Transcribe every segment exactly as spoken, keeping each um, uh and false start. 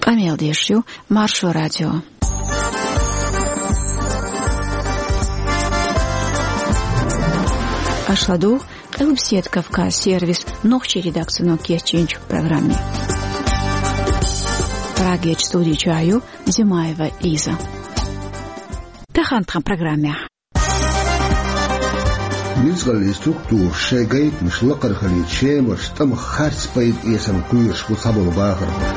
Къамел деш ю Маршо радио. Аша ладугӀу Къилбаседа Кавказ сервисан нохчийн редакцино кечйинчу программе. Прагерчу студи чохь ю Зимаева Лиза. Тахана тхан программехь. Ницкъаллин структураш шайн гайтамаш лакхара хилийта Шемарчу тӀамах харц пайда эцарна кхоьруш бу цхьаболу бахархой.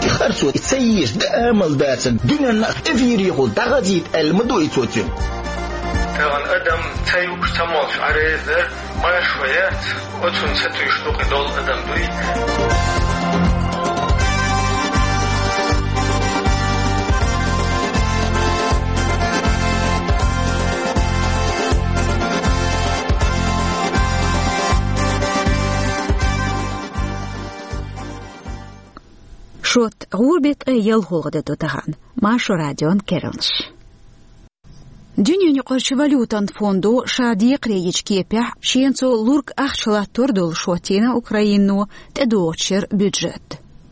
И харцо и ца езаш даа амал дацарна дуьненна а эфирехула дӀахазийта аьлла ма ду и цо цуьнан. Тахана адам ца юуш, ца молуш Ӏан реза дара, Маршо яц, оцунна сатуьйсуш дукха долу адам дуй. Шот гӀуран беттан ялхолгӀа де ду тахана. Маршо радион керланаш. Дуьненан юкъарчу валютан фондо ша декхаре йичу кепехь, шена цо лург ахча латтор долуш хӀоттийна Украино тӀедогӀучу шеран бюджет.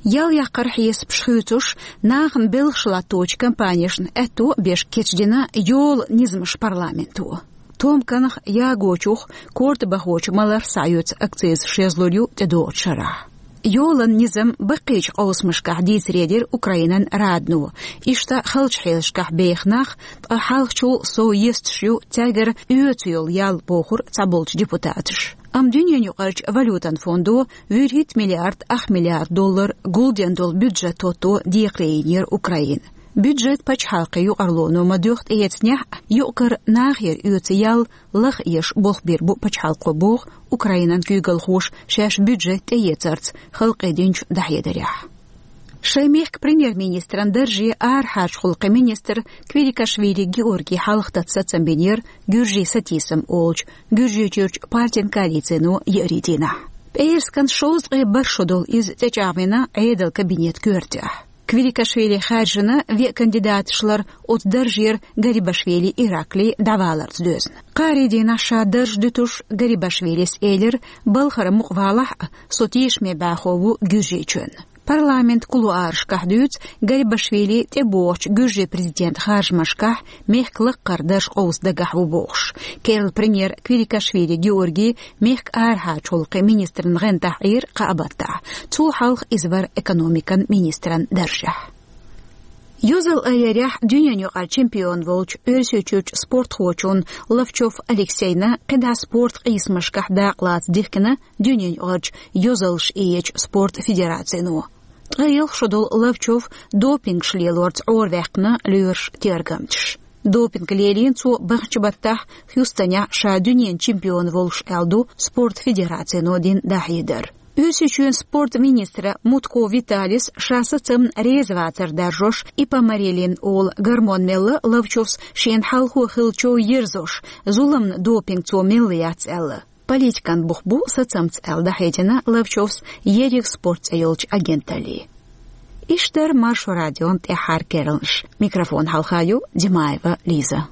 Ял яккхаран хьесапаш хуьйцуш, нахана белхаш латточу компанешна аьтто а беш кечдина йолан низамаш парламенто. Томканах, ягочух, корта бахочу маларх схьаоьцу акциз шезлур ю тӀедогӀучу шарахь. Йолан низам баккхийчу къовсамашкахь дийцаре дира Украинан Радно. Иштта халчу хьелашкахь беха нах, ткъа хьалхачул сов есташ ю цаьргара оьцу йолу ял, бохура цхьаболчу депутаташа. Амма дуьненан юкъарчу валютан фондо вуьрхӀитта миллиард ах миллиард доллар гулден долу бюджет хӀотто декхаре йинера Украина. Бюджет пачхьалкхан юкъарлоно ма-дуьйхху тӀеэцнехь а, юкъ-кара нахера оьцу ял лаха еш болх бийр бу пачхьалкхо, боху Украинан куьйгалхоша шаьш бюджет тӀеэцарца халкъе динчу дӀахьедарехь. Шайн мехкан премьер-министран дарже арахьарчу гӀуллакхийн министр Квиликашвили Георгий хьалха тата сацам бинера Гуьржийн сатийсам олучу Гуьржийчуьрчу партин коалицино еарин дийнахь. ПӀераскан шовзткъе бархӀ шо долу иза тӀечӀагӀвина Ӏедалан кабинетан коьртехь. Квиликашвили хаьржина веа кандидаташ лар оцу даржера Гарибашвили Иракли дӀаваларца доьзна. Кхаарин дийнахь ша дарж дуьтуш Гарибашвилис элира: «Балхара мукъа валахь а, со тешаме бӀаьхо ву Гуьржийчоьнан». Парламентан кулуарашкахь дуьйцу, Гарибашвили тӀебогӀучу гуьржийн президентан харжамашкахь мехкан лаккхара дарж къовса дагахь ву бохуш. Керла премьер Квиликашвили Георгий мехкан арахьарчу гӀуллакхийн министран гӀантахь Ӏийра кхаа баттахь. Цул хьалха иза вара экономикан министран даржехь. Йозалла айъярехь дуьненан юкъара чемпион волчу Оьрсийчуьрчу спортхочунна Ловчов Алексейна кхидӀа спорт къийсамашкахь дакъалаца дихкина дуьненан юкъарчу йозаллаш иэчу спорт федерацино. Ткъе ялх шо долу Ловчов допингаш лелорца Ӏораваьккхина лоьраш тергамчаша. Допинг лелийна цо баханчу баттахь Хьюстонехь ша дуьненан чемпион волуш аьлла ду спорт федерацино дина дӀахьедар. Оьрсийчоьнан спорт министра Мутко Виталис ша сацамна реза вацар даржош ипамарилин олу гормон мелла Ловчовс шена хьалхо хиллачо ерзош, зуламна допинг цо мелла яц аьлла. Политикан бух бу сацамца аьлла дӀахьедина Ловчовс ерриг спорт цӀе йолчу агенталле. Иштта дара Маршо радион тӀаьххьара керланаш. Микрофон хьалха ю Димаева Лиза.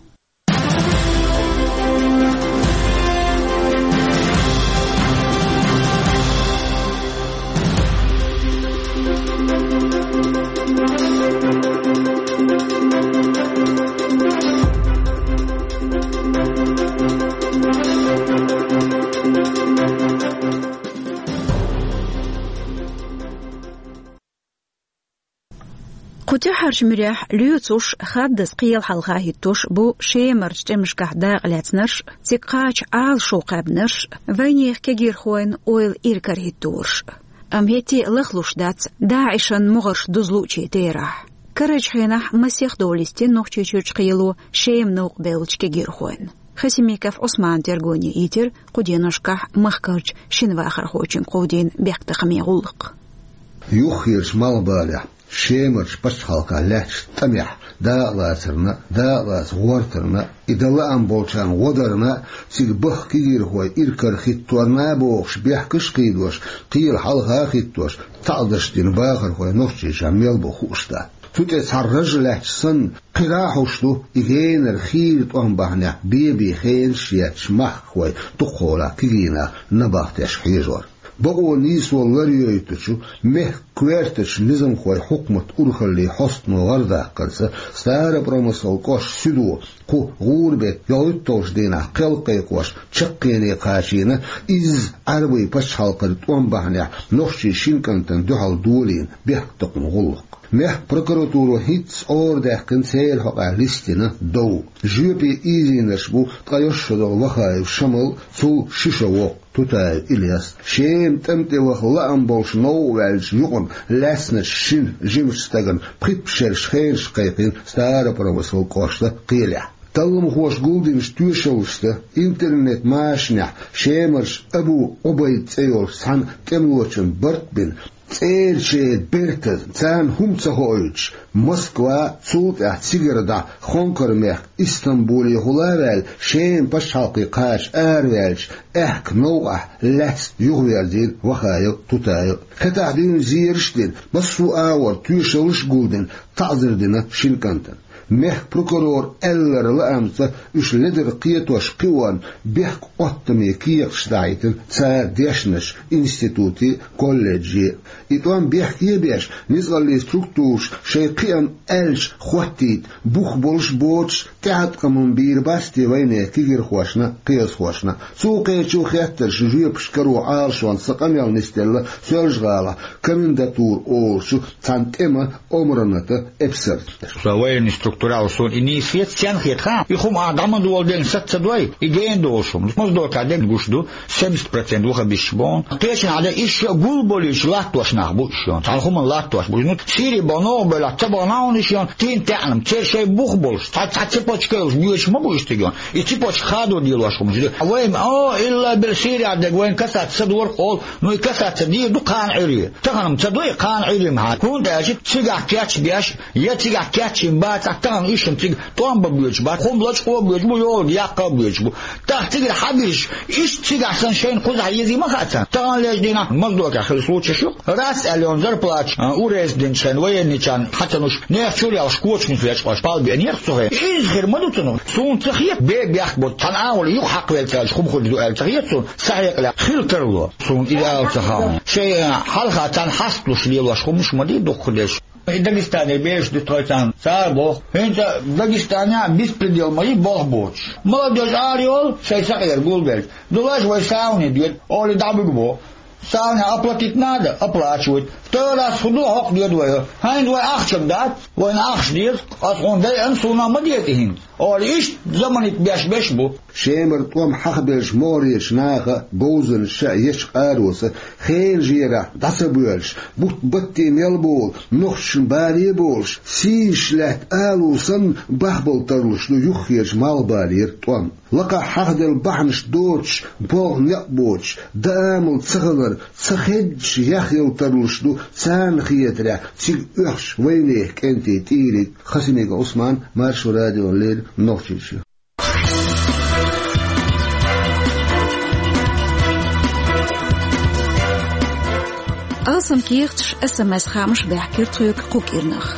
Кху тӀаьххьарчу муьрехь лоьцуш, хаддаза кхел хьалха хӀиттош бу Шемарчу тӀемашкахь дакъа лаьцнарш, цига кхача Ӏалашо кхаьбнарш, вайнехан кегийрхойн ойла иракарахӀиттарш. Амма хӀетте а лахлуш дац ДАИШан могӀарш дузлучийн терахь. Карарчу хенахь масех дола йистина Нохчийчуьрчу кхело Шема новкъа бевллачу кегийрхойн. Хасимиков Ӏусмана тергоне йитира кху деношкахь махкарчу шина вахархочуьнга кховдийна бехктакхамийн гӀуллакх. Юххерчу малхбалехь, Шемарчу пачхьалкхехь лаьттачу тӀамехь дакъалацарна, дакъалаца гӀортарна, и дан лаам болчарна гӀо дарна, цига баха кегийрхой иракарахӀиттарна бохуш, бехкаш а кхийдош, кхел хьалха а хӀиттош, таӀзарш дина бахархой Нохчийчохь мел бу хууш дац. Цу тӀе цхьа раж лаьтташ санна, кхидӀа а хьош ду и генара хийра тӀом бахьанехь бен-бен хенаш етташ махкахой дукхахьолахь кегий нах набахтеш хьежор. Бакъо нийсо ларйойтучу мехкан коьртачу низамхойн хьукматан урхаллин хьостано гӀарадаккхарца, Старопромыслан кӀоштан суьдо кху гӀурбатан ялхитталгӀачу дийнахь кхел кхайкхош чаккхене кхачийна изза Ӏаьрбийн пачхьалкхера тӀом бахьанехь нохчийн шин кӀантана дуьхьал долийна бехктакхаман гӀуллакх. Мехкан прокуратуро хӀинцца арадаьккхина церан хьокъехь листина дов. Жоьпе ийзийнарш бу ткъе исс шо долу Вахаев Шамал, цул ши шо воккха Тутаев Ильяс. Шема тӀам тӀе ваха лаам болуш новкъа ваьллачу юкъана лаьцначу шина жимачу стагана пхийтта шераш хенаш кхайкхийна Старопромыслан кӀоштан кхелехь. Талламхоша гулдинчу тоьшаллашца интернет-машанехь Шемарчу Абу Ӏубайд цӀе йолчу цхьана тӀемалочун барт а бина, цӀерачеран бертан царна хӀума ца хоуьйтуш, Москва, цул тӀаьхьа цигара дӀа Хонкар-мехкан Истамбулехула а ваьлла, Шеман пачхьалкхе кхача араваьллачу аьхка новкъахь лаьцна юхаверзийна Вахаев Тутаев. Хетахь дуьйна зераш а дина, массо а агӀор тоьшаллаш а гулдина, таӀзар дина шина кӀантана. Мехкан прокуроран аьлларан лаамца, уьш ледара кхетош кхиорна бехк-Ӏоттаме кехаташ дахьийтина цара дешначу институте а, колледже а. И тӀом бехке а беш, ницкъаллин структураш шайн кхиам аьлча хӀоттийта бух болуш а боцуш, тӀеӀаткъам бийр бац те вайнехан кегийрхошна а, кхиазхошна а. Цу кхечу хеттарш жоьпаш каро Ӏалашонца къамел нисделла Соьлжа-ГӀалахь комендатура олучу цхьана тӀеман омранатан эпсарша. Со военный структурал суна и нийса хета, цен хета, ха? И хӀума а дӀа ма дола ден саца ца дой, и гена долуш хӀума. Моздокехь ден гуш ду, семьдесят процент вахабисташ боху. Кхечанхьа ден ишша а гулболуьйтуш латтош нах бу уьш йон. Цхьана хӀуманна латтош бу. Ну, Сири боху новкъа бевлла, ца боху нахана уьш йон, тин таьӀнам, церан шайн бух болуш, цхьа, цхьа цепочка йолуш боьдуш ма бу уьш цигахь. И цепочка хадо делош хӀума ду. А вайн, о, илла бел Сири а дерг вайн касаться ца дора олу, ну и касаться дийр ду кхана Ӏуьйре. Тахана-м ца дой кхана Ӏуьйре-м хьан. ХӀунда аьлча цигахь кечбеш, я цигахь кечйина бацахь, тахана уьш-м цига тӀом бан боьдуш бац, хӀума лачкъо а боьдуш бу, йолу яккха а боьдуш бу. ТӀаккха цигара хьан бирш, иштта цигахь санна шайна кхузахь езий ма хаьа царна. Тахана лежа дийнахь Моздокехь хилла случайш ю. Раз аьлла йолу зарплаташ, а, урезать динчу хенахь военныйчарна хьацануш, нехан чуьра ялхаш кочамаш лечкъош пал беанера цу хенахь. Иза хир ма ду цунах. Суна ца хета, бе бехк бо, цхьана агӀор юха хьакхавелла цаьрга хӀума хуьлуш ду аьлла ца хета суна. Сан хьекъале хила тарло. Суна иза ала ца хаьа. Шайн, а, хьалха царна хьасталуш лелош хӀуманаш ма дий дукхахдерш. И Дагестане бераш ду тхойцарна, цара боху. ХӀинца Дагестанехь беспредел ма ю болх боцуш. Молодёжь ара йолу, шайн сакъера гулбелча. Дулаш вай сауне доьду, олий дӀабуьгу боху. Сауне оплатить надо, оплачивают. Второй раз хӀун ду, хӀокху доьду вай. ХӀинца вай ахча-м дац, вайна ахча деза. Ас хьуна дайъана, суна ма деза хӀинца. Олий иштта заманит беш-беш бу. Шемара тӀом хьахабеллачу могӀарерчу наха, говзанчаша ечу къароца, хенан жерахь дӀа ца боьллуш, бутт-батте мел болу, нохчашна бале а болуш, сийсаш лаьтта алу санна, бахбала тарлуш ду юххерчу малхбалера тӀом. Лакхахь хьахаделла бахьанаш доцуш, болх некъ боцуш, даа-мала ца хилар, ца хеддаш яхъяла тарлуш ду, царна хетарехь, цига оьхучу вайнехан кӀентийн тӀийриг. Хасимиков Ӏусман, Маршо радиона леррина, Нохчийчоь. Алсам кехаташ, СМС-хаамаш баьхкира тхоьга кху кӀирнах.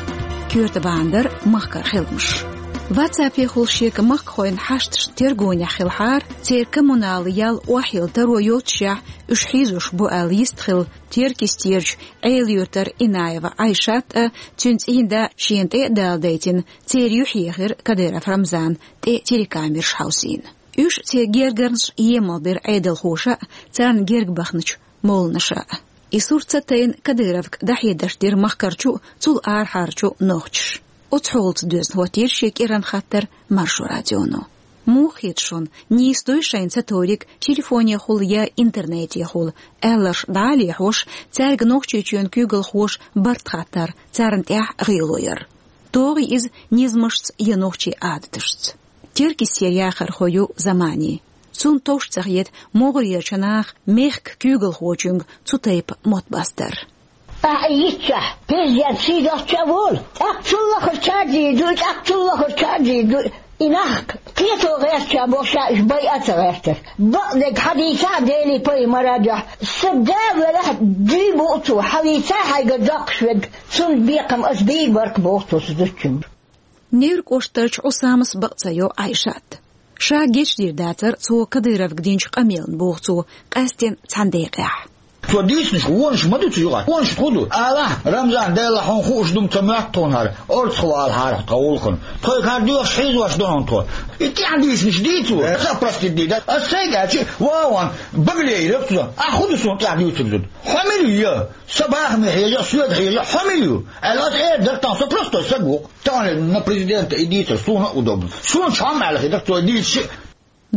Коьрта бахьана дара махкара хиламаш. WhatsApp-ехула шега махкахойн хьашташна тергонехь хилахьара, церан коммуналан ял охьайилла таро йоццушехь, уьш хьийзош бу аьлла йистхилла Теркйистерчу Ӏела-Юьртара Инаева Ӏайшат а, цуьнан цӀийнда шена тӀе а дала дайтина, церан юьхь ехира Кадыров Рамзан, тӀе телекамераш хьовсийна. Уьш, церан гергарнаш емал бира Ӏедалхоша а, царна герга бахначу молланаша а. И сурт ца тайна Кадыровга дӀахьедарш дира махкарчу а, цул арахьарчу а нохчаша. Оцу хьолаца доьзна хӀоттийра шен кӀиран хаттар Маршо радионо. Муха хета шуна, нийса дуй шайна ца товриг телефонехула я интернетехула, аьлларш дӀа а лехьош, цаьрга Нохчийчоьнан куьйгалхоша барт хаттар, царна тӀехь гӀело яр? ТогӀий иза низамашца я нохчийн Ӏадаташца? Теркйистера яхархо ю Замани. Цунна товш ца хета могӀарерчу наха мехкан куьйгалхочуьнга цу тайпа мотт бастар. Ахьа йитчахь, президент сий доцчу а волу, тӀаккха цул лахара чаржийр ду, тӀаккха цул лахара чаржийр ду. И нах кхето гӀертача боху ша уьш байа а ца гӀертара. Бакъдерг хьан дийца а Делий пайхамара дуьхьа. Сан да велахь, дуй бу цо, хьан вийца а хьайгара доккхуш верг, цунна бекхам ас бийр бара боху цо зудчуьнга. Невран кӀоштарчу Ӏусамас бакъ ца йо Ӏайшат. Ша гечдийр дацара цо Кадыровга динчу къамелна, боху цо, къаьсттина цхьана декъехь. Цо дийцинчу вонаш ма ду цу юкъахь. Вонаш хӀун ду? Алахь, Рамзан, Дела хьуна хууш ду-м ца моьтту тхуна хӀара. Орцах валахьара тхо гӀуллакхана. Тхоьга хӀара доьхуш хьийзош ду хьуна тхо. И тӀаьхьа дийцинчу дийцо, аса простить дийца. Ас сайга аьлча, вон, Баглей, раб цо. Ахь хӀун ду суна тӀаьхьа дуьйцург зуда? Хьо мила ю? Сан бахаме хьежа, соьга хьежа, хьо мила ю? Аьлла, ас эр дара тахана, со простой саг ву-кх. Тахана на президента и дийцар, суна а удобно. Суна чхьа хӀума аьлла хир дара, цо дийца шиъ.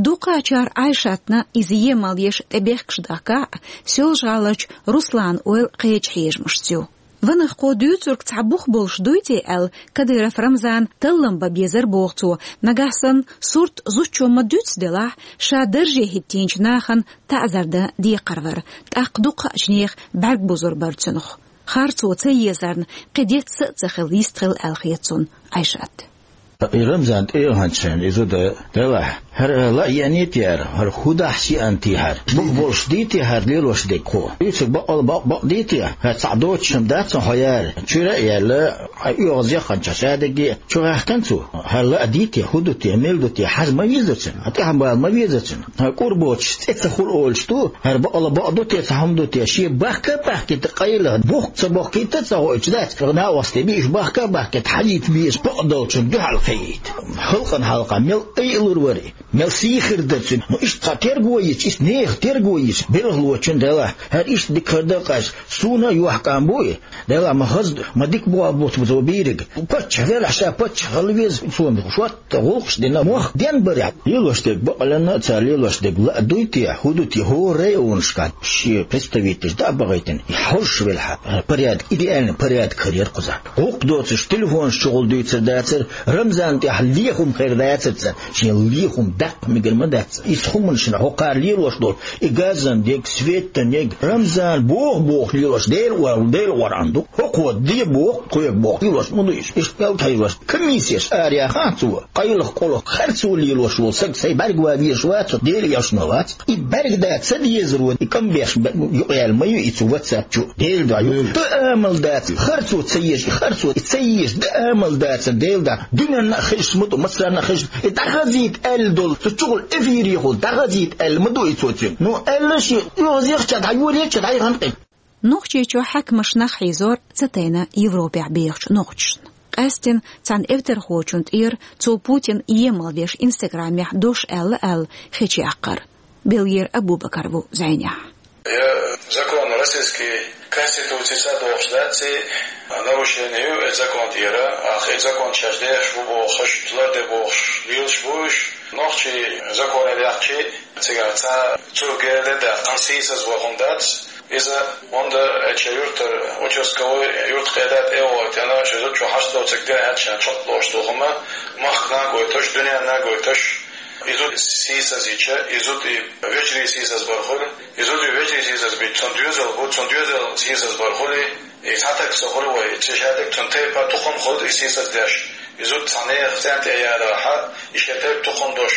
Дукхачара Ӏайшатна иза емал еш тӀебехкаш дахкахь а, Соьлжа-ГӀаларчу Русланан ойла кхечу хьежамашца ю. Ванах, кхо дуьйцург цхьа бух болуш дуй те аьлла, Кадыров Рамзана таллам бан безара боху цо, нагахь санна сурт зудчо ма-дуьццу делахь, ша дарже хӀиттийначу нахана таӀзар дан декхар вара, тӀаккха дукхачу нехан бӀаьрг бузур бара цунах. Харцо ца езарна, кхин децца а ца хилла йист хилла аьлла хета цунна Ӏайшат. И Рамзан тӀе а хӀанчхьана, и зуда делахь, хӀара ла а еаний те хӀара, хӀара хӀун дахьаш еана те хӀара? Бух болуш дий те хӀара лелош дерг хӀо? Дуьйцург бакъ-, бакъ-, бакъдий те? ХӀара цхьа доцуш хӀума дац хьо яра? Чуьра а яьлла, хьайн оьгӀаз яхханчохь шадерриге а чу гӀаьхкина цо? ХӀара ла а дий те, хӀун ду те, мила ду те, хьажа ма везара цунна, хьан тӀаьхьа бала ма везара цунна. ХӀара кӀур боцуш цӀе ца хуьлу олуш ду, хӀара бакъала бакъ ду те, цхьа хӀума ду те, шен бахка а бахкийта къайла, бух а ца бохкийта а ца хоуьйтуш дац, хӀара накъостий биъ уьш бахка а бахкийта хьажийта безаш бакъдолчунна дуьхьал кхиийта. Халкъана хьалха мел айалур вара и, мел сий хир дара цуьнан. Ну, иштта цхьа терго йича, иштта нехан терго йича, белхалочун делахь, хӀара иштта дика хир дара-кх аьлча, суна а йохкам бу и. Делахь ма хаза, ма дика боху бу цо бийриг. Паччахь велахь, ша паччахь хила веза, цо шот ТӀе гӀуллакхаш дина мох ден барехь, лелош дерг бакъаланна а цара лелош дерг ла а дуй те, хӀун ду те, хӀора районашкахь шен представителаш дӀа а бахийтина, и хьожуш велахь, порядок, идеальный порядок хир яра кхузахь. ГӀуллакх доцуш телефонаш чухула дуьйцур дацара, Рамзанна тӀехь лехам хир дацара царна, шен лехам даккха мегар ма дац. Иза хӀуманашна хӀокхара лелош долу, и газан дерг, светан дерг, Рамзан боху-боху лелош, Дела ор-, Дела оран ду. ХӀокхо де боху, тхоьга боху, лелош ма ду иза. Иштта мел тхьаьжлош, комиссеш араяхахь цо, къайлаха-къолаха харцо лелош волу саг сайн бӀаьрг ван везаш вацахь, Дела эшна вац. И бӀаьрг дан ца дезаро, и кӀам беш б-, юкъаяьлла ма ю и цу WhatsApp чу. Дела дуьхьа ю. Дан амал дац, харцо ца езаш, и харцо ца езаш, дан амал дацара, Дела дуьхьа. Дуьненна а хезаш ма ду, массарна а хезаш. И дӀахазийта аьлла долу, цу чухула эфирехула дӀахазийта аьлла ма ду и цо цуьнга. Ну, аьлла шен, оьгӀазехча дӀа, йолеча дӀа, и гӀан къин. Нохчийчохь хьаькамаш нах хьийзор ца тайна Европехь бехачу нохчашна. Къаьстина цхьана эвтархочун тӀера цо Путин емал деш Инстаграмехь дош аьлла аьлла хечу яккхар. Белгера Абу-Бакар ву зӀенехь. Я закон российский конституции садохуш дац и, нарушение ю и закон тӀера, а хи закон шаьш дехаш ву бохуш, ларде бохуш, лелаш ву уьш. Нохчий закон яьккхичи, цигара цхьа цу герде даьккхина сийсаз вахун дац. Иза онда эча юртар участковый юрт къеда тӀе а гӀойтина, ши зудчо хьашт доцург де аьлча, чоп лош ду хӀума, махкана а гойташ, дуьненна а гойташ, и зуда сийсаз йича, и зуда и вежарий сийсаз бар хуьлу, и зуда и вежарий сийсаз бича, цунна доьзал бу, цунна доьзал сийсаз бар хуьлу, и цхьа таг со хуьлу вай, цу шадерг цунна тайпа тухум хуьлу и сийсаз деш, и зуда цхьа нехан цӀен тӀе ярахьа, и шен тайпа тухум дош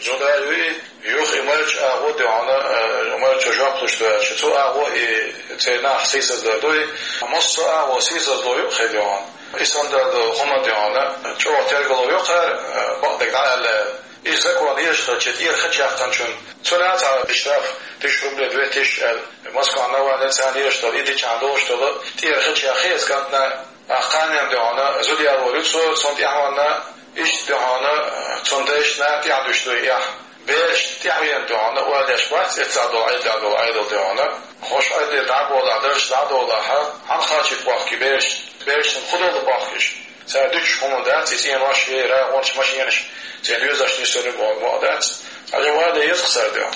зуда а ю и, Юха и марча агӀо де хьуна, э, марчо жоп луш ду аьлча, цу агӀо и церан нах сийсаздар дуй, массо а агӀо сийсазло юкъахь де хьуна. И санна долу хӀума де хьуна, чӀогӀа тергало йоккхара, э, бакъдерг дӀа аьлла. Иза закон езаш хилча, тӀера хача яьккхинчун, цунна цхьа штраф, тысяча рублей, две тысячи аьлла. Москва Навальный царна езаш долу, и дичахь долуш долу, тӀера хача яьккхи иза кӀантана, а кханенна де хьуна, зуда ялор ю цо, цунна тӀаьхьа ванна, иштта де хьуна, цунна дайшна тӀаьхьа дуьш дуй эхь. Бераш тӀаьхьавеана дуьхьана, ойла деш бац, эццахь долу, Ӏедалехь долу Ӏедал дуьхьана. Хьуш Ӏедале дӀа а болахь, дарж дӀа а долахьа, хьан кхачийта бохкий бераш? Берашна хӀун долу бохкийш? Цара дуьтуш хӀума дац, и цӀенош, е рагӀонаш, машенаш, церан доьзалш нисдойла боху боху дац. Цхьа жа ойла еза-кх цара дуьхьана.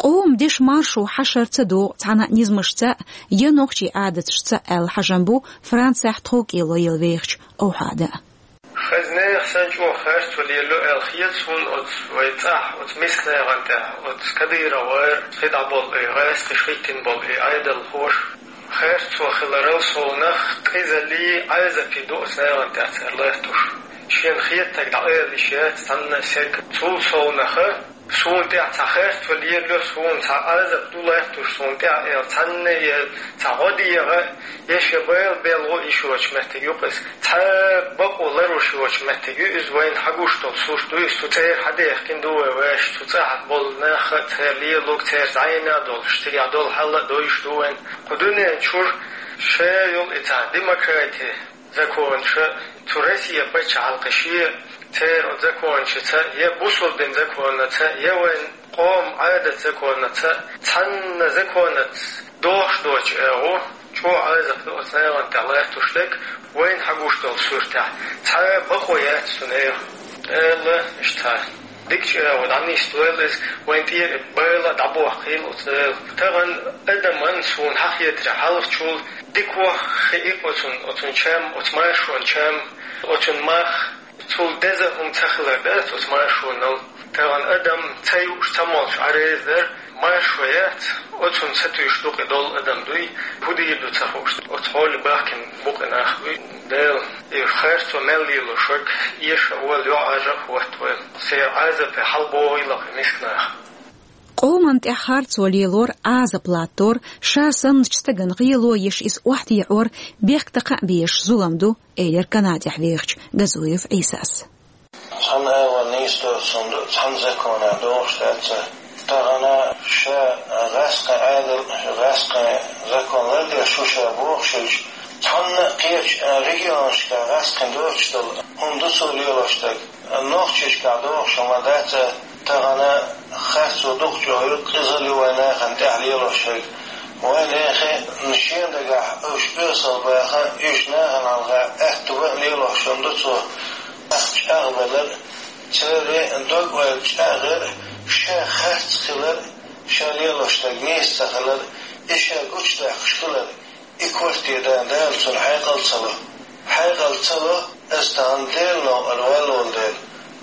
Къоман деш маршо хьашар ца догӀу цхьана а низамашца а, я нохчийн Ӏадаташца а аьлла хьажам бу Францехь тховкӀело елла вехачу Овхьада. Хаза нехан санна чӀогӀа харцо лелайо аьлла хета суна оцу вай цӀахь, оцу миска нехан тӀехь, оцу Кадыровн, кхидӀа болу и гӀаскхиш хӀиттина болу и Ӏедалхоша. Харцо хиларал совнах къизаллий, Ӏазапий ду оцу нехан тӀехь цара латтош. Шена хетарг дӀаала йиш яц цхьанна а стага. Цул совнаха Суна тӀехь цхьа харцо лелайо, суна цхьа Ӏазап ду латтош суна тӀехь, аьлла, цхьанна а цхьа гӀо дегӀа, я шен байла белгӀо йиш йоцу меттиг ю-кх иза. Цхьа бакъо ларош йоцу меттиг ю иза, вайна хьагуш долу сурт ду иза, цу цӀера хьадехкина ду вай вешан, цу цӀахь болу нах а, церан лелориг, церан зӀенах долуш, цигахь долу хьал а довзуш ду вайна. Кху дуьнен чуьра ша йолу и цхьа демократи, законаша, цу Россия пачхьалкхе шен, церан законашца, я бусулба дин законаца, я вайн къоман Ӏадат законаца, цхьанна законаца дохуш доцу агӀо, чӀогӀа Ӏазап ду оцу нахана тӀехь латтош дерг, вайна хьагуш долу суртехь. Цхьа бакъо яц цу нехан. Дала иштта дикачу агӀор дӀанисдойла иза, вайн тӀера и байла а дӀабохкийла оцу Дала. Тахана адаман суна хьахетарехь хьалхачул дика хи-, хиъ оцун, оцун чам, оцу маршонан чам, оцун мах, цул деза хӀума ца хилар дац оцу маршонал. Тахана адам ца юуш, ца молуш Ӏа реза дара, маршо яц, оцунна сатуьйсуш ду-кх и долу адам дуй, хӀун дийр ду ца хууш, оцу хьоле бахкина бу-кх и нах буй. Дала и харцо мел лелош верг эша а волу, йоӀ Ӏажа а хӀоттавойла. Церан Ӏазапе хьалабохийла-кх и миска нах. Къоман тӀехь харцо лелор, Ӏазап латтор, ша санначу стагана гӀело еш иза охьатаӀор бехктакха а безаш зулам ду, элира Канадехь вехачу Газуев Ӏийсас. Цхьана агӀор нийса доцу хӀума ду, цхьана законехь дохуш дац. Тахана ша гӀаскхи Ӏадал, гӀаскхи закон лардеш ву ша бохуш хилча, цхьанна а кхечу регионашкахь гӀаскхи доцуш долу хӀума ду цо лелош дерг. Нохчийчохь дохуш хӀума дац, тахана харцо дукха чӀогӀа ю, къизалла ю вайн нахана тӀехь лелош верг. Вайн нахе шен дагахь уьш оьсал баха, уьш нахана хьалха аьтто бан лелош хӀума ду цо. Нах чӀагӀбалар, церан дог-ойла чӀагӀъяр, ша харц хилар, ша лелош дерг нийса ца хилар, и ша гучудаккхаш хилар. И корта дан Дала цунна хьекъал ца ло. Хьекъал ца ло, аса тахана Делан новкъара валлал дела.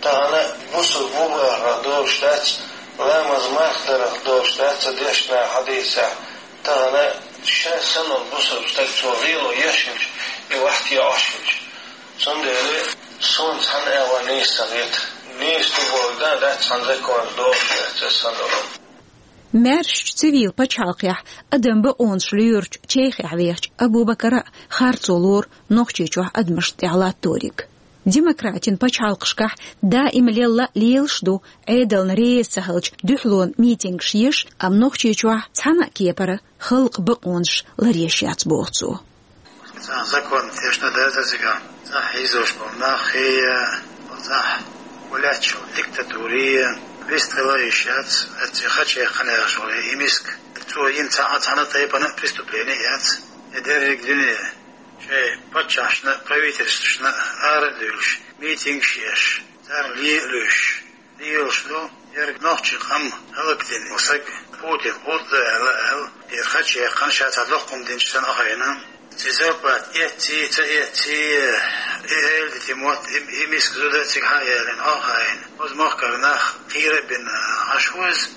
Тахана бусулба ву бахарх долуш дац, ламаз марха дарх долуш дац цу дешнехь, хьадисехь. Тахана ша санна бусулба стаг цо гӀело еш хилча, и вахт яӀош хилча. Цундела суна цхьана агӀор нийса ца хета. Нийса ду бохург дан дац, цхьана законаца дохуш дац аса санна. Маьршачу цивил пачхьалкхехь адам бакъонаш лоьручу Чехехь вехачу Абу-Бакара харцо лору Нохчийчохь адамашна тӀехь латториг. Демократин пачхьалкхашкахь даима лелла лелаш ду, Ӏедална реза ца хилча дуьхьалонан митингаш еш, амма Нохчийчохь цхьана а кепара халкъан бакъонаш ларъеш яц, боху цо. Цхьа закон тешна дацара цигахь, цхьа хьийзош болу нах хи, цхьа гулаьттачу диктатури, вистхила йиш яц, эцци хаче кханаьржо и миска. Цо йина цхьа а цхьана тайпана преступление яц. И дерриг дуьне шайн паччахьашна, правительствашна ара а дуьйлуш, митингаш еш, царна ле а луьйш. Лелаш ду, ерг нохчийн къам хӀаллакдина саг Путин гӀуллакх ду аьлла, аьлла, ер хача яьккхина ша цхьа доккхум динчу санна а хайна. Ци зарплата эцций, ца эцций, и эладитина мотт, и, и миска зуда цига хьа а ялийна, хьо а хайна. Оцу махкара нах кхера а бина, Ӏаш ву иза,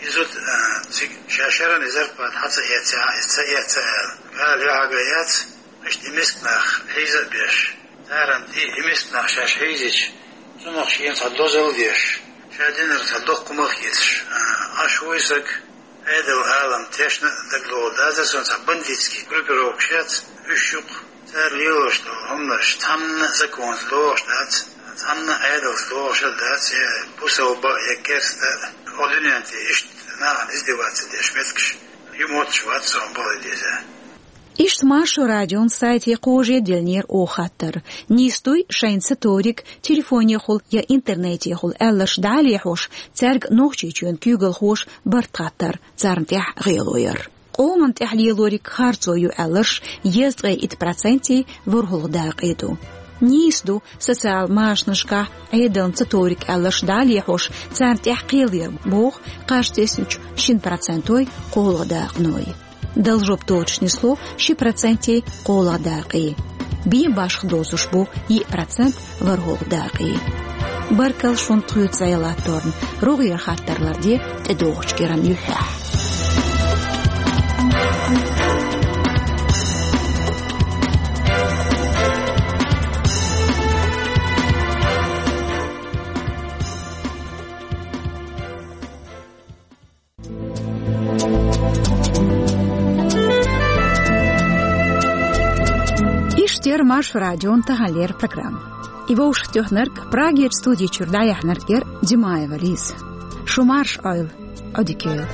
и зуда, а, цига ша шеран и зарплата хьа ца эцций, хьа иза ца эцций аьлла. Ала юьхьӀага яц. Иштта и миска нах хьийза а беш, царна тӀе и миска нах шаьш хьийзича, цунах шена цхьа дозалла деш, ша динарг цхьа доккха хӀума хеташ, а, Ӏаш ву и саг, Ӏедал, Ӏалам тешна а дагалоха дацара суна, цхьа бандитский группировкаш яц уьш юкъа, цара лелош долу хӀуманаш цхьанна а законца догӀуш дац, цхьанна а Ӏедалца догӀуш а дац, я бусалба, я керста, кху дуьнен тӀе иштта нахана издеваться деш меттигаш ю мотташ вац суна бала деза. Иштта Маршо радион сайте кхожа диллинера оха хаттар. Нийса дуй шайна ца ториг телефонехула я интернетехула аьлларш дӀа а лехьош, цаьрга Нохчийчоьнан куьйгалхоша барт хаттар, царна тӀехь гӀело яр. Къоман тӀехь лелориг харцо ю аьлларш езткъе итт процентий ворхӀалгӀа дакъе ду. Нийса ду социал машанашкахь Ӏедална ца ториг аьлларш дӀа а лехьош, царна тӀехь кхел яр, боху кхаж тесначу шина процентой кхоалгӀа дакъаной. Дала жоп доцуш нисло ши процентий кхоалгӀа дакъий. Бен башха доцуш бу йиъ процент ворхӀалгӀа дакъий. Баркалла шуна тхоьца зӀе латторна. РогӀера хаттар ларде тӀедогӀучу кӀиран юьххьехь. Эфирт яр Маршо радион таханлера программа. И вовшахтоьхнарг, Прагера студи чуьра дӀаяьхьнарг яр Димаева Лиза. Шу марша Ӏойла, Ӏодика йойла.